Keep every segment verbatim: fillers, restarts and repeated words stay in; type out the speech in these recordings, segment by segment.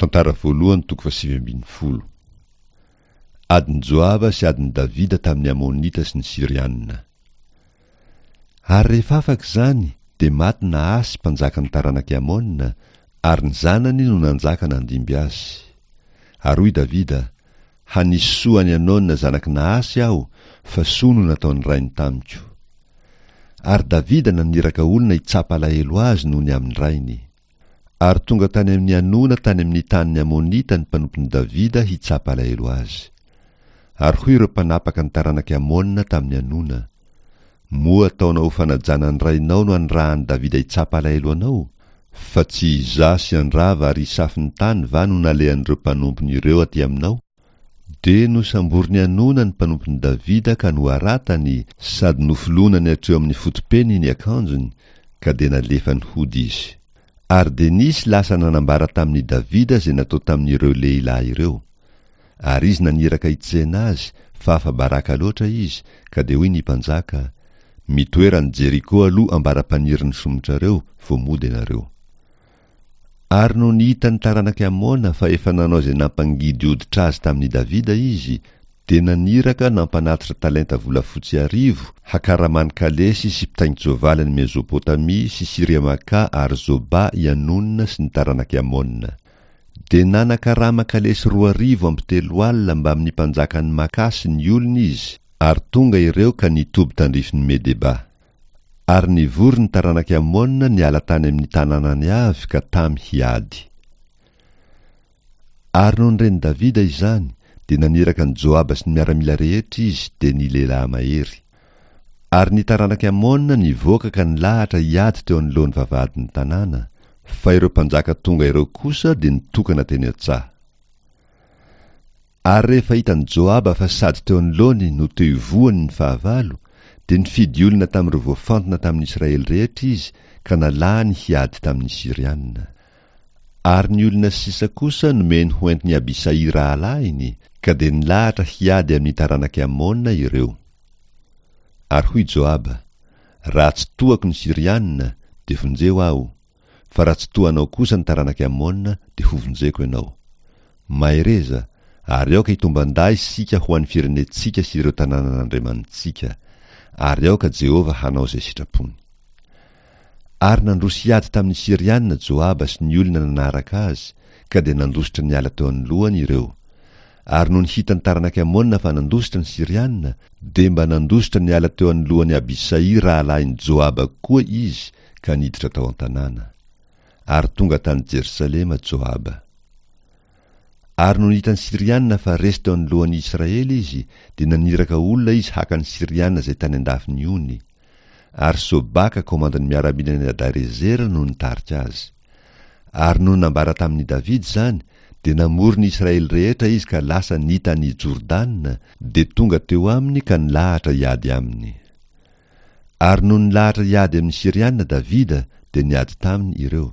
Tantara voalohany toko fahasivy ambin'ny folo. Adin'i Joaba sy adin'i Davida tamin'ny Amonita sy ny Syriana. Ary rehefa afaka izany, dia maty Nahasy mpanjakan'ny taranak'i Amona, ary ny zanany no nanjaka nandimby azy. Ary hoy Davida, Hanisy soa an'i Anona zanak'i Nahasy aho, fa soa no nataon'ny rainy tamiko. Ary Davida naniraka olona hitsapa alahelo azy noho ny amin'ny rainy. Ary tonga tany amin'i Hanona tany amin'ny tanin'ny Amonita ny mpanompon'i Davida hitsapa alahelo azy. Ary hoy ireo mpanapaka ny taranak'i Amona tamin'i Hanona, Moa ataonao ho fanajana ny rainao no anirahan'i Davida hitsapa alahelo anao? Fa tsy izaho sy Andrava ary Isafin'ny tany va no nalehan'ireo mpanompony ireo aty aminao? Dia nosamborin'i Hanona ny mpanompon'i Davida ka noharatany, sady nofolonany hatreo amin'ny foto-peniny ny akanjony, ka dia nalefany hody izy. Ary dia nisy lasa nanambara tamin'i Davida izay natao tamin'ireo lehilahy ireo. Ary izy naniraka hitsena azy, fa afa-baraka loatra izy, ka dia hoy ny mpanjaka, Mitoera any Jeriko aloha ambara-panirin'ny somotrareo, vao mody ianareo. Ary nony hitan'ny taranak'i Amona fa efa nanao izay nampangidy hoditra azy tamin'i Davida izy, dia naniraka nampanatitra talenta volafotsy arivo hakaramany kalesy sy mpitaingin-tsoavaly any Mezopotamia sy Syria-Makà ary Zobà i Hanona sy ny taranak'i Amona. Dia nanakarama kalesy roa arivo amby telo alina mbamin'ny mpanjakan'i Makà sy ny olony izy, ary tonga ireo ka nitoby tandrifin'i Medeba. Ary nivory ny taranak'i Amona niala tany amin'ny tanànany avy ka tamy hiady. Ary nony ren'i Davida izany, dia naniraka an'i Joaba sy ny miaramila rehetra izy, dia ny lehilahy mahery. Ary ny taranak'i Amona nivoaka ka nilahatra hiady teo anoloan'ny vavahadin'ny tanàna, fa ireo mpanjaka tonga ireo kosa dia nitokana teny an-tsaha. Ary rehefa hitan'i Joaba fa sady teo anoloany no teo ivohony ny fahavalo, dia nifidy olona tamin'ireo voafantina tamin'ny Israely rehetra izy ka nalahany hiady tamin'ny Syriana. Ary ny olona sisa kosa nomeny ho entin'i Abisaï rahalahiny, ka dia nilahatra hiady amin'ny taranak'i Amona ireo. Ary hoy Joaba, Raha tsy tohako ny Syriana, dia vonjeo aho, fa raha tsy tohanao kosa ny taranak'i Amona, dia hovonjeko ianao. Mahereza, ary aoka hitomban-dahy isika ho an'ny firenentsika sy ireo tanànan'Andriamanitsika, ary aoka Jehovah hanao izay sitrapony. Ary nandroso hiady tamin'ny Syriana Joaba sy ny olona nanaraka azy, ka dia nandositra niala teo anoloany ireo. Ary nony hitan'ny taranak'i Amona fa nandositra ny Syriana, dia mba nandositra niala teo anoloan'i Abisaï rahalahin'i Joaba koa izy ka niditra tao an-tanàna. Ary tonga tany Jerosalema Joaba. Ary nony hitan'ny Syriana fa resy teo anoloan'ny Israely izy, dia naniraka olona izy haka ny Syriana izay tany an-dafin'ny ony. Ary Sobaka komandin'ny miaramilan'i Hadarezera no nitarika azy. Ary nony nambara tamin'i Davida izany, dia namory ny Israely rehetra izy ka lasa nita an'i Jordana, dia tonga teo aminy ka nilahatra hiady aminy. Ary nony nilahatra hiady amin'ny Syriana Davida, dia niady taminy ireo.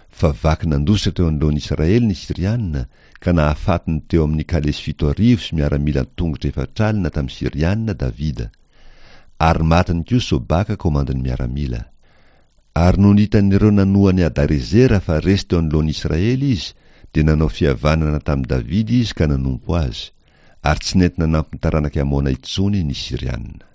Fa vaky nandositra teo anoloan'i Israely ny Syriana, ka nahafaty ny teo amin'ny kalesy fito arivo sy miaramila an-tongotra efatra alina tamin'ny Syriana Davida. Ary matiny koa Sobaka komandin'ny miaramila. Ary nony hitan'ireo nanoa an'i Hadarezera fa resy teo anoloan'i Israely izy, dia nanao fihavanana tamin'i Davida izy ka nanompo azy, ary tsy nety nanampy ny taranak'i Amona intsony ny Syriana.